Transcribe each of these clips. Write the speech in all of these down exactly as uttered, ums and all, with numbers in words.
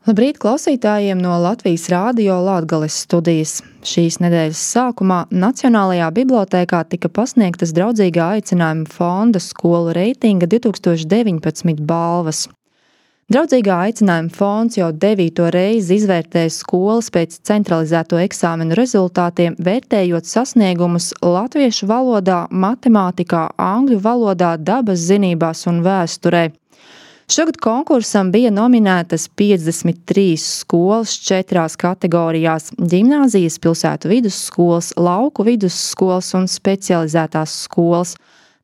Labrīt klausītājiem no Latvijas Rādio Latgales studijas. Šīs nedēļas sākumā Nacionālajā bibliotēkā tika pasniegtas draudzīgā aicinājuma fonda skolu reitinga divtūkstoš deviņpadsmit balvas. Draudzīgā aicinājuma fonds jau devīto reizi izvērtēja skolas pēc centralizēto eksāmenu rezultātiem, vērtējot sasniegumus latviešu valodā, matemātikā, angļu valodā, dabas zinībās un vēsturē. Šogad konkursam bija nominētas piecdesmit trīs skolas četrās kategorijās – ģimnāzijas, pilsētu vidusskolas, lauku vidusskolas un specializētās skolas,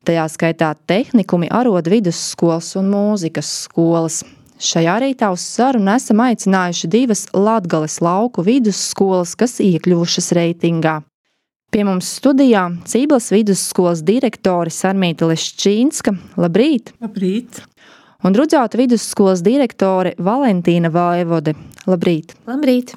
tajā skaitā tehnikumi, arodu vidusskolas un mūzikas skolas. Šajā rītā uz sarunu esam aicinājuši divas Latgales lauku vidusskolas, kas iekļuvušas reitingā. Pie mums studijā Cīblas vidusskolas direktore Sarmīta Leščīnska. Labrīt! Labrīt! Un Rudzāta vidusskolas direktore Valentīna Vaivode. Labrīt! Labrīt!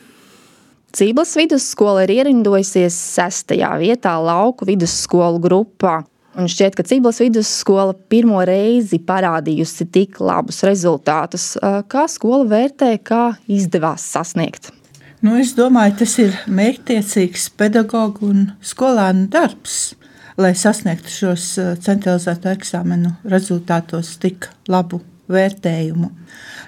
Cīblas vidusskola ir ierindojusies sestajā vietā lauku vidusskolu grupā. Un šķiet, ka Cīblas vidusskola pirmo reizi parādījusi tik labus rezultātus. Kā skola vērtē, kā izdevās sasniegt? Nu, es domāju, tas ir mērķtiecīgs pedagogu un skolēnu darbs, lai sasniegtu šos centralizēto eksāmenu rezultātos tik labu vērtējumu.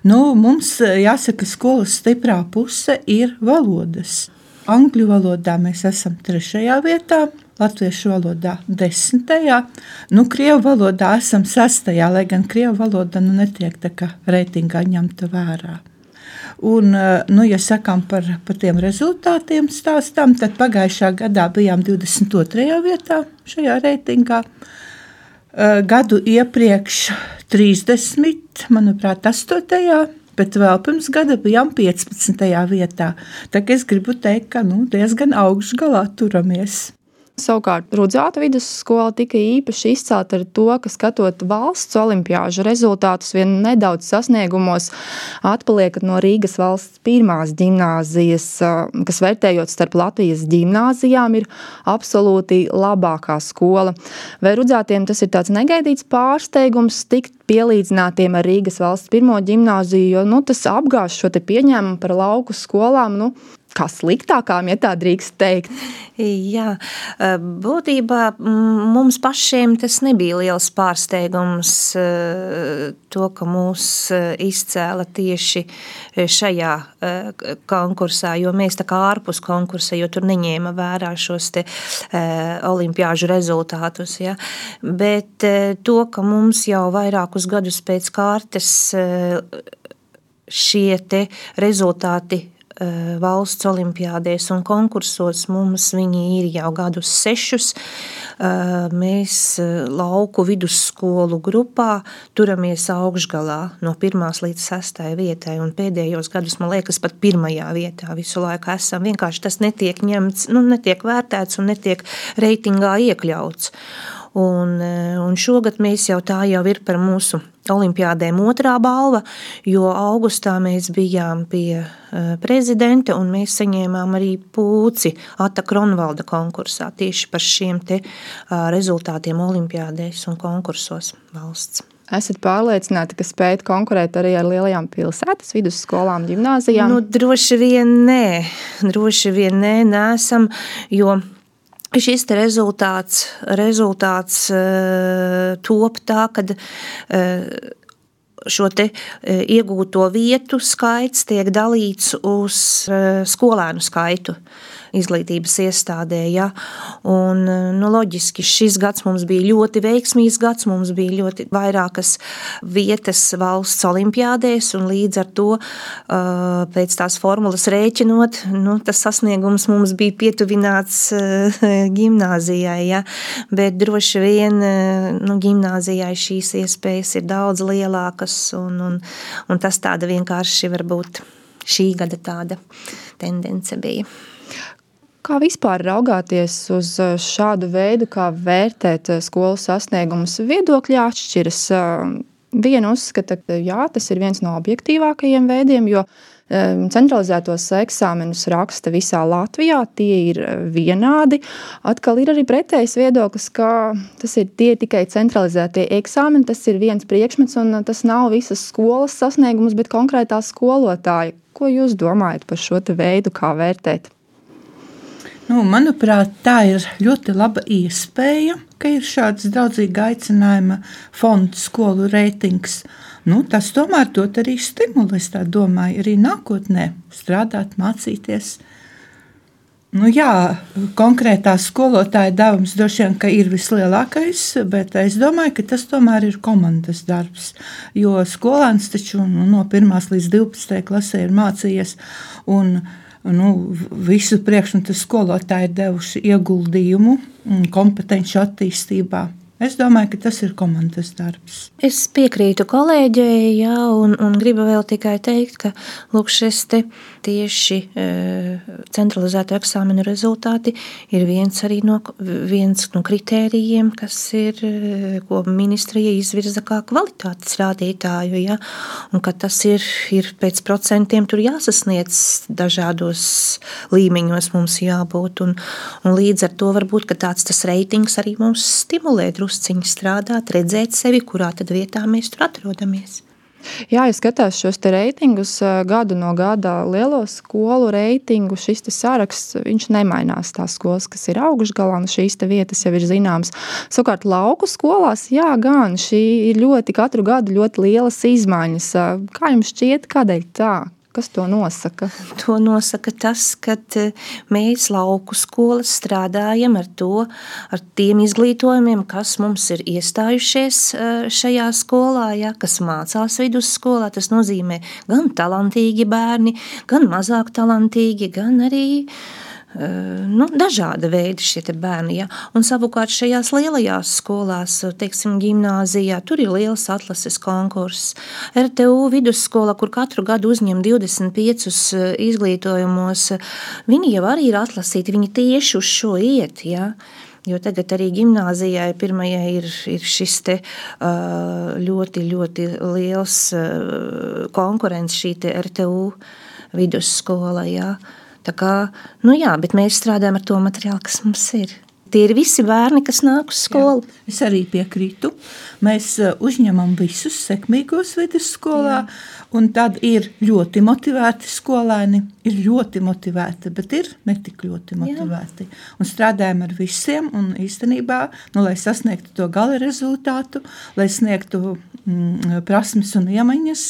Nu, mums jāsaka, skolas stiprā puse ir valodas. Angļu valodā mēs esam trešajā vietā, latviešu valodā desmitajā, nu, krievu valodā esam sestajā, lai gan krievu valoda nu, netiek tā kā reitingā ņemta vērā. Un, nu, ja sakām par, par tiem rezultātiem stāstām, tad pagājušā gadā bijām divdesmit otrajā vietā šajā reitingā. Gadu iepriekš trīsdesmit, manuprāt, astotajā, bet vēl pirms gada bijām piecpadsmitajā vietā. Tā kā es gribu teikt, ka nu, diezgan augšgalā turamies. Savukārt Rudzāta vidusskola tika īpaši izcelta ar to, ka skatot valsts olimpiāžu rezultātus vien nedaudz sasniegumos atpaliekat no Rīgas valsts pirmās ģimnāzijas, kas vērtējot starp Latvijas ģimnāzijām ir absolūti labākā skola. Vai Rudzātiem tas ir tāds negaidīts pārsteigums tikt pielīdzinātiem ar Rīgas valsts pirmo ģimnāziju, jo nu, tas apgāž šo te pieņēmumu par lauku skolām, nu, kā sliktākām, ja tā drīkst teikt? Jā, būtībā mums pašiem tas nebija liels pārsteigums to, ka mūs izcēla tieši šajā konkursā, jo mēs tā kā ārpus konkursa, jo tur neņēma vērā šos te olimpiāžu rezultātus, ja. Bet to, ka mums jau vairākus gadus pēc kārtas šie te rezultāti valsts olimpiādēs un konkursos mums viņi ir jau gadus sešus. Mēs lauku vidusskolu grupā turamies augšgalā no pirmās līdz sestai vietai un pēdējos gadus, man liekas, pat pirmajā vietā visu laiku esam. Vienkārši tas netiek ņemts, nu, netiek vērtēts un netiek reitingā iekļauts. Un, un šogad mēs jau tā jau ir par mūsu olimpiādēm otrā balva, jo augustā mēs bijām pie prezidenta un mēs saņēmām arī pūci Ata Kronvalda konkursā tieši par šiem te rezultātiem olimpiādēs un konkursos valsts. Esat pārliecināti, ka spējat konkurēt arī ar lielajām pilsētas vidusskolām, ģimnāzijām? Nu, droši vien nē, droši vien nē, nesam, jo šis te rezultāts, rezultāts uh, top tā, kad uh, šo te uh, iegūto vietu skaits tiek dalīts uz uh, skolēnu skaitu izglītības iestādē, ja. Un, nu, loģiski, šis gads mums bija ļoti veiksmīgs gads, mums bija ļoti vairākas vietas valsts olimpiādēs, un līdz ar to pēc tās formulas rēķinot, nu, tas sasniegums mums bija pietuvināts ģimnāzijai, ja. Bet droši vien, nu, ģimnāzijai šīs iespējas ir daudz lielākas, un, un, un tas tāda vienkārši varbūt šī gada tāda tendence bija. Kā vispār raugāties uz šādu veidu, kā vērtēt skolu sasniegumus? Viedokļi atšķiras. Viena uzskata, ka jā, tas ir viens no objektīvākajiem veidiem, jo centralizētos eksāmenus raksta visā Latvijā, tie ir vienādi. Atkal ir arī pretējs viedoklis, ka tas ir tie tikai centralizētie eksāmeni, tas ir viens priekšmets un tas nav visas skolas sasniegums, bet konkrētā skolotāja. Ko jūs domājat par šo te veidu, kā vērtēt? Nu, manuprāt, tā ir ļoti laba iespēja, ka ir šāds draudzīga aicinājuma fonds, skolu reitings. Nu, tas tomēr dot arī stimulu, es tā domāju, arī nākotnē strādāt, mācīties. Nu, jā, konkrētā skolotāja devums droši vien, ka ir vislielākais, bet es domāju, ka tas tomēr ir komandas darbs, jo skolēns taču nu, no pirmās līdz divpadsmitajai klasē ir mācījies un Nu, visu priekšmetu skolotāji ir devuši ieguldījumu kompetenci attīstībā. Es domāju, ka tas ir komandas darbs. Es piekrītu kolēģei, jā, un, un gribu vēl tikai teikt, ka lūk, šis te tieši e, centralizēto eksāmenu rezultāti ir viens arī no, viens no kritērijiem, kas ir, ko ministrija izvirza kā kvalitātes rādītāju, jā, un ka tas ir, ir pēc procentiem tur jāsasniedz dažādos līmeņos mums jābūt, un, un līdz ar to varbūt, ka tāds tas reitings arī mums stimulē drusciņi strādāt, redzēt sevi, kurā tad vietā mēs tur atrodamies. Jā, ja skatās šos te reitingus gadu no gada lielo skolu reitingu, šis te saraksts, viņš nemainās tās skolas, kas ir augšgalā, un šīs te vietas jau ir zināmas. Savukārt lauku skolās, jā, gan šī ir ļoti katru gadu ļoti lielas izmaiņas. Kā jums šķiet, kādēļ tā? Kas to nosaka? To nosaka tas, ka mēs lauku skolas strādājam ar to, ar tiem izglītojumiem, kas mums ir iestājušies šajā skolā, ja, kas mācās vidusskolā. Tas nozīmē gan talantīgi bērni, gan mazāk talantīgi, gan arī nu, dažāda veida šie te bērni. Ja. Un savukārt šajās lielajās skolās, teiksim, gimnāzijā, tur ir liels atlases konkurss. R T U vidusskola, kur katru gadu uzņem divdesmit piecus izglītojumos, viņi jau arī ir atlasīti, viņi tieši uz šo iet, ja. Jo tagad arī gimnāzijai pirmajai ir, ir šis te ļoti, ļoti liels konkurents šī te R T U vidusskola, ja. Tā kā, nu jā, bet mēs strādājam ar to materiālu, kas mums ir. Tie ir visi bērni, kas nāk uz skolu. Jā, es arī piekrītu. Mēs uzņemam visus sekmīgos vidusskolā, un tad ir ļoti motivēti skolēni, ir ļoti motivēti, bet ir netik ļoti motivēti. Jā. Un strādājam ar visiem, un īstenībā, nu, lai sasniegtu to gala rezultātu, lai sniegtu mm, prasmes un iemaņas,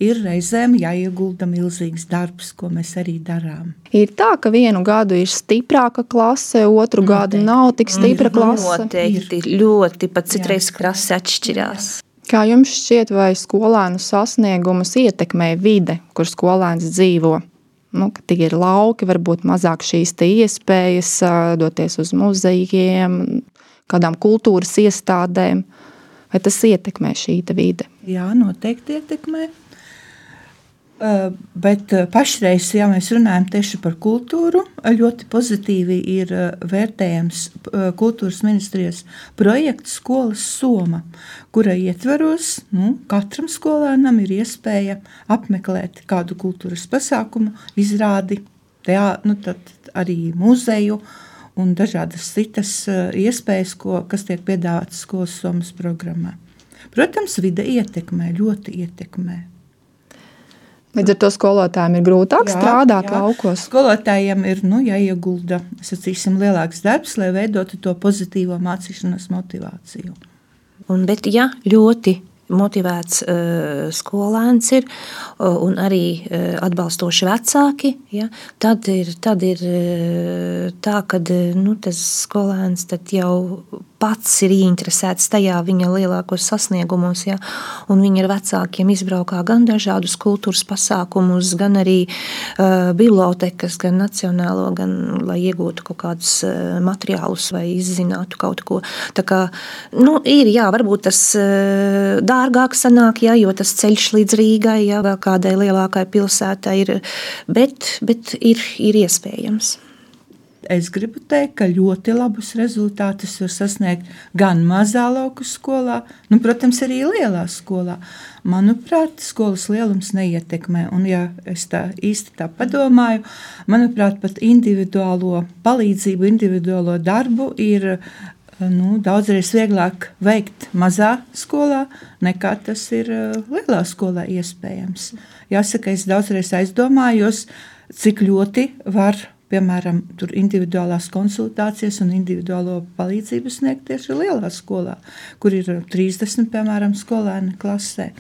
ir reizēm jāiegulda milzīgs darbs, ko mēs arī darām. Ir tā, ka vienu gadu ir stiprāka klase, otru Noteikti. Gadu nav tik stipra klase. Noteikti, ļoti, pat citreiz klase atšķirās. Kā jums šķiet, vai skolēnu sasniegumus ietekmē vide, kur skolēns dzīvo? Nu, ka tie ir lauki, varbūt mazāk šīs te iespējas doties uz muzejiem, kādām kultūras iestādēm. Vai tas ietekmē šī te vide? Jā, noteikti ietekmē. Uh, bet pašreiz, ja mēs runājam tieši par kultūru, ļoti pozitīvi ir vērtējams kultūras ministrijas projekts Skolas soma, kura ietveros, nu, katram skolēnam ir iespēja apmeklēt kādu kultūras pasākumu, izrādi, teā, nu, tad arī muzeju un dažādas citas iespējas, ko, kas tiek piedāvātas Skolas somas programmā. Protams, vide ietekmē, ļoti ietekmē. Līdz ar to skolotājiem ir grūtāk jā, strādāt jā. Laukos. Skolotājiem ir nu, jāiegulda, sacīsim, lielāks darbs, lai veidotu to pozitīvo mācīšanas motivāciju. Un, bet ja ļoti motivēts uh, skolēns ir uh, un arī uh, atbalstoši vecāki, ja, tad ir, tad ir uh, tā, ka nu, tas skolēns tad jau pats ir ieinteresēts tajā viņa lielākos sasniegumos, ja, un viņi ar vecākiem izbraukā gan dažādus kultūras pasākumus, gan arī uh, bibliotekas, gan nacionālo, gan lai iegūtu kaut kādus uh, materiālus vai izzinātu kaut ko. Tā kā, nu, ir, jā, varbūt tas uh, dārgāk sanāk, jā, jo tas ceļš līdz Rīgai, jā, vēl kādai lielākai pilsētai ir, bet, bet ir, ir iespējams. bet es gribu teikt, ka ļoti labus rezultātus var sasniegt gan mazā lauku skolā, nu, protams, arī lielā skolā. Manuprāt, skolas lielums neietekmē, un ja es tā īsti tā padomāju, manuprāt, pat individuālo palīdzību, individuālo darbu ir nu, daudzreiz vieglāk veikt mazā skolā, nekā tas ir lielā skolā iespējams. Jāsaka, es daudzreiz aizdomājos, cik ļoti var, piemēram, tur individuālās konsultācijas un individuālo palīdzību sniegt tieši lielā skolā, kur ir trīsdesmit, piemēram, skolēni klasē.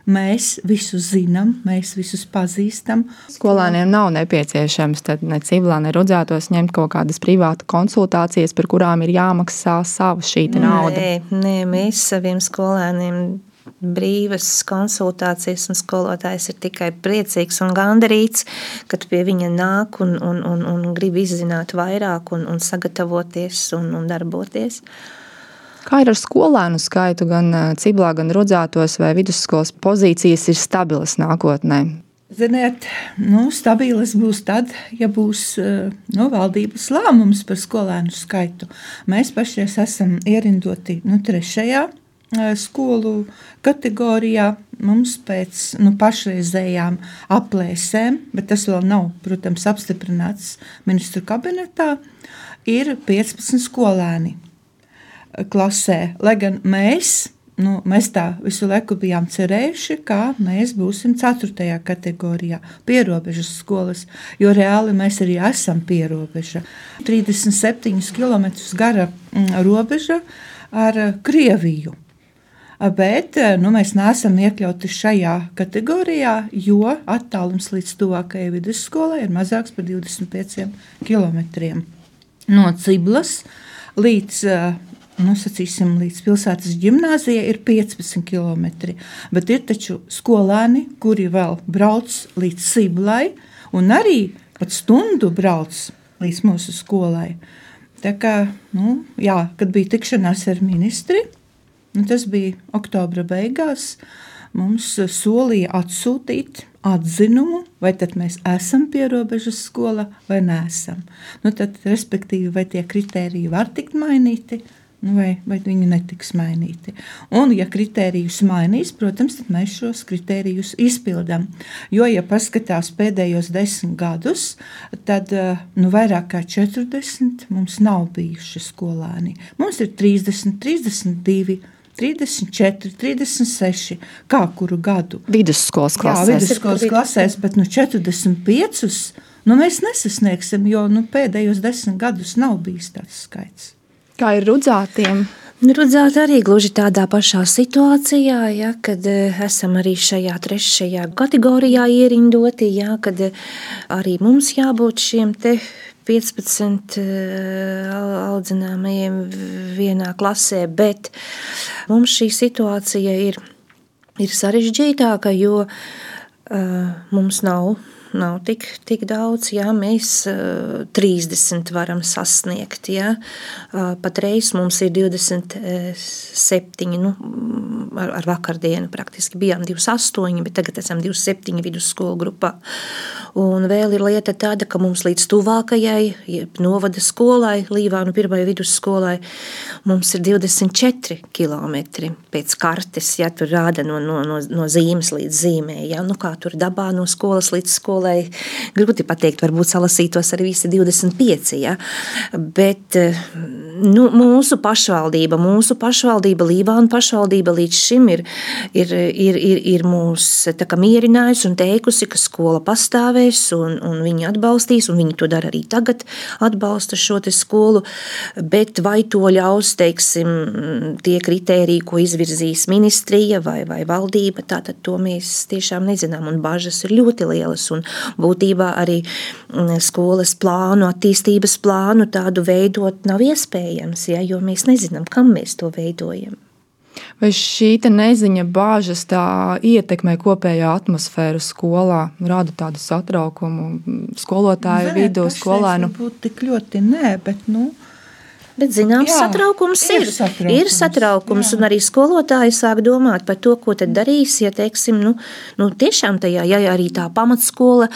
Mēs visus zinām, mēs visus pazīstam. Skolēniem nav nepieciešams tad ne Ciblā, ne Rudzētos ņemt kaut kādas privātu konsultācijas, par kurām ir jāmaksā savu šī nauda. Nē, nē, mēs saviem skolēniem brīvas konsultācijas, un skolotājs ir tikai priecīgs un gandarīts, kad pie viņa nāk un, un, un, un grib izzināt vairāk un, un sagatavoties un, un darboties. Kā ir ar skolēnu skaitu gan Ciblā, gan Rudzētos, vai vidusskolas pozīcijas ir stabilas nākotnē? Ziniet, nu, stabilas būs tad, ja būs nu, valdības lēmums par skolēnu skaitu. Mēs pašreiz esam ierindoti nu, trešajā skolu kategorijā. Mums pēc nu, pašreizējām aplēsēm, bet tas vēl nav, protams, apstiprināts ministru kabinetā, ir piecpadsmit skolēni klasē, lai gan mēs, nu, mēs tā visu laiku bijām cerējuši, kā mēs būsim ceturtajā kategorijā, pierobežas skolas, jo reāli mēs arī esam pierobeža. trīsdesmit septiņus kilometrus gara robeža ar Krieviju, bet nu, mēs neesam iekļauti šajā kategorijā, jo attālums līdz tuvākajai vidusskolai ir mazāks par divdesmit pieciem kilometriem. No Ciblas līdz Nu, sacīsim, līdz pilsētas ģimnāzijai ir piecpadsmit kilometri, bet ir taču skolēni, kuri vēl brauc līdz Ciblai un arī pat stundu brauc līdz mūsu skolai. Tā kā, nu, jā, kad bija tikšanās ar ministri, nu, tas bija oktobra beigās, mums solīja atsūtīt atzinumu, vai tad mēs esam pierobežas skola vai neesam. Nu, tad, respektīvi, vai tie kritēriji var tikt mainīti, Nu, vai, vai viņi netiks mainīti. Un, ja kritērijus mainīs, protams, tad mēs šos kritērijus izpildām. Jo, ja paskatās pēdējos desmit gadus, tad nu, vairāk kā četrdesmit mums nav bijuši skolēni. Mums ir trīsdesmit, trīsdesmit divi, trīsdesmit četri, trīsdesmit seši, kā kuru gadu. Vidusskolas klasēs. Jā, vidusskolas klasēs, bet nu, četrdesmit piecus nu, mēs nesasniegsim, jo nu, pēdējos desmit gadus nav bijis tāds skaits. Kā ir Rudzātiem? Rudzāti arī gluži tādā pašā situācijā, ja, kad esam arī šajā trešajā kategorijā ierindoti, ja, kad arī mums jābūt šiem te piecpadsmit audzināmajiem vienā klasē, bet mums šī situācija ir, ir sarežģītāka, jo uh, mums nav Nav tik, tik daudz, jā, mēs uh, trīsdesmit varam sasniegt, jā. Uh, patreiz mums ir divdesmit septiņi, nu, ar, ar vakardienu praktiski bijām divdesmit astoņi, bet tagad esam divdesmit septiņi vidusskolu grupā. Un vēl ir lieta tāda, ka mums līdz tuvākajai novada skolai, Līvānu pirmajai vidusskolai, mums ir divdesmit četri kilometri pēc kartes, ja tur rāda no, no, no, no zīmes līdz zīmē, ja, nu kā tur dabā no skolas līdz skolai, grūti pateikt, varbūt salasītos arī visi divdesmit pieci, ja? Bet nu, mūsu pašvaldība, mūsu pašvaldība, Līvānu pašvaldība līdz šim ir, ir, ir, ir, ir mūs tā kā mierinājusi un teikusi, ka skola pastāvēs un, un viņi atbalstīs, un viņi to dara arī tagad, atbalsta šo te skolu, bet vai to ļaus, teiksim, tie kritēriji, ko izvirzīs ministrija vai, vai valdība, tātad to mēs tiešām nezinām, un bažas ir ļoti lielas, un būtībā arī skolas plānu, attīstības plānu tādu veidot nav iespējams, ja, jo mēs nezinām, kam mēs to veidojam. Vai šī te neziņa, bāžas tā ietekmē kopējā atmosfēru skolā, rada tādu satraukumu skolotāju Ziniet, vidū, skolēnu? Varbūt tik ļoti nē, bet nu, Bet zināms, Jā, satraukums ir. ir satraukums, ir satraukums jā. un arī skolotāji sāk domāt par to, ko tad darīs, ja, teiksim, nu, nu tiešām tajā, ja arī tā pamatskola,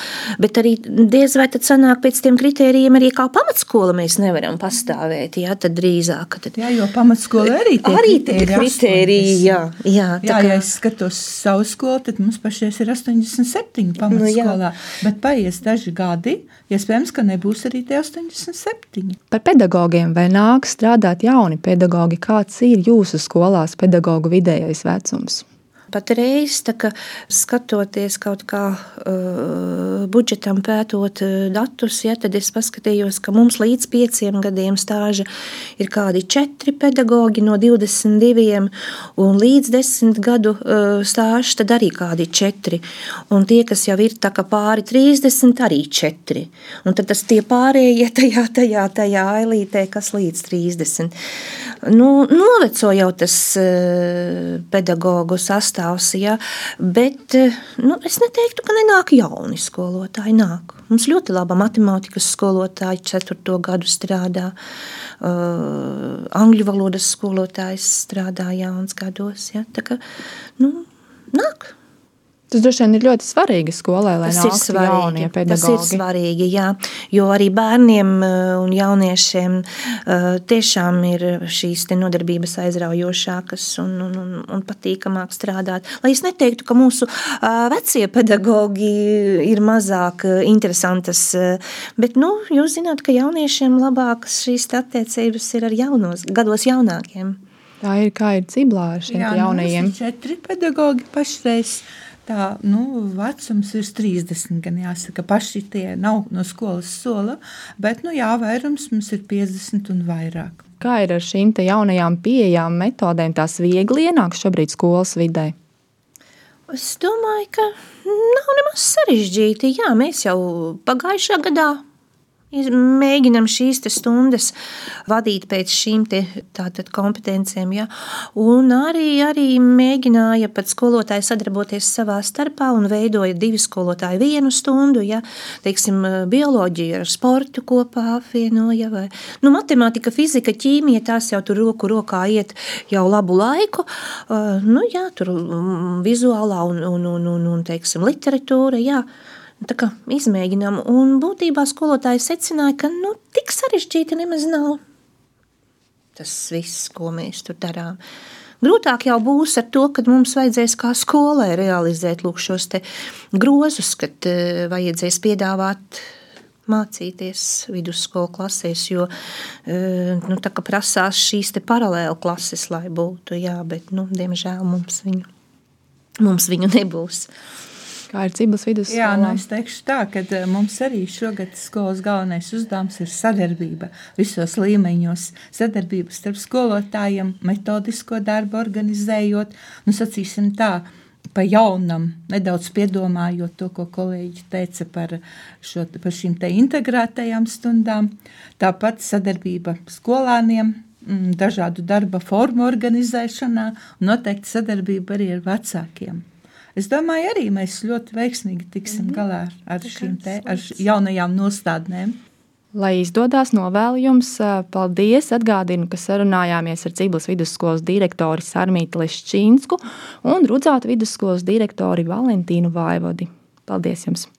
bet arī diez vai tad sanāk pēc tiem kritērijiem arī kā pamatskola mēs nevaram pastāvēt, jā, tad drīzāk. Tad... Jā, jo pamatskola arī tie arī tie kritēriji, jā. Jā, jā, kā... ja es skatos savu skolu, tad mums pašies ir astoņdesmit septiņi pamatskolā, nu, bet paies daži gadi, iespējams, ka nebūs arī tie astoņdesmit septiņi. Par pedagogiem vai nāk strādāt jauni pedagogi? Kāds ir jūsu skolās pedagogu vidējais vecums? Patreiz, tā kā skatoties kaut kā uh, budžetam pētot uh, datus, ja, tad es paskatījos, ka mums līdz pieciem gadiem stāža ir kādi četri pedagogi no divdesmit diviem, un līdz desmit gadu uh, stāža tad arī kādi četri. Un tie, kas jau ir tā kā pāri trīsdesmit, arī četri. Un tad tas tie pārējie tajā, tajā, tajā ailītē, kas līdz trīsdesmit. Nu, noveco jau tas uh, pedagogu sastāvs. Ja, bet nu, es neteiktu, ka nenāk jauni skolotāji. Nāk. Mums ļoti laba matemātikas skolotāja ceturto gadu strādā, uh, angļu valodas skolotājs strādā jauns gados. Ja, tā kā, nu, nāk. Tas droši vien ir ļoti svarīgi skolai, lai tas nāktu jaunie pedagogi. Tas ir svarīgi, jā, jo arī bērniem un jauniešiem tiešām ir šīs te nodarbības aizraujošākas un, un, un, un patīkamāk strādāt. Lai es neteiktu, ka mūsu vecie pedagogi ir mazāk interesantas, bet, nu, jūs zināt, ka jauniešiem labākas šīs attiecības ir ar jaunos, gados jaunākiem. Tā ir, kā ir Ciblā ar šiem jā, jaunajiem. Jā, mums ir četri pedagogi pašreiz. Tā, nu, vecums ir trīsdesmit, gan jāsaka, paši tie nav no skolas sola, bet, nu, jā, vairums mums ir piecdesmit un vairāk. Kā ir ar šīm te jaunajām pieejām metodēm, tās viegli ienāk šobrīd skolas vidē? Es domāju, ka nav nemaz sarežģīti. Jā, mēs jau pagājušā gadā mēģinam šīs te stundas vadīt pēc šīm te tātad kompetencijām, ja? Un arī, arī mēģināja pat skolotāji sadarboties savā starpā un veidoja divi skolotāji vienu stundu, ja? Teiksim, bioloģiju ar sportu kopā apvienoja, vai, nu, matemātika, fizika, ķīmija, tās jau tur roku rokā iet jau labu laiku, uh, nu, jā, tur vizuālā un, un, un, un, un teiksim, literatūra, jā, tā kā izmēģinām, un būtībā skolotāji secināja, ka nu, tik sarežģīti nemaz nav tas viss, ko mēs tur darām. Grūtāk jau būs ar to, kad mums vajadzēs kā skolai realizēt lūk šos te grozus, kad uh, vajadzēs piedāvāt mācīties vidusskolu klasēs, jo uh, nu, tā kā prasās šīs te paralēli klases, lai būtu, jā, bet, nu, diemžēl mums viņu, mums viņu nebūs. Kā ir Ciblas vidusskolā? Jā, nu es teikšu tā, ka mums arī šogad skolas galvenais uzdevums ir sadarbība visos līmeņos. Sadarbība starp skolotājiem, metodisko darbu organizējot, nu sacīsim tā, pa jaunam, nedaudz piedomājot to, ko kolēģi teica par, šo, par šīm te integrētajām stundām. Tāpat sadarbība skolāniem, dažādu darba formu organizēšanā, un noteikti sadarbība arī ar vecākiem. Es domāju, arī mēs ļoti veiksmīgi tiksim galā ar šīm te, ar jaunajām nostādnēm. Lai izdodas, novēlu jums paldies. Atgādinu, ka sarunājāmies ar Ciblas vidusskolas direktori Sarmīti Leščīnsku un Rudzāta vidusskolas direktori Valentīnu Vaivodi. Paldies jums!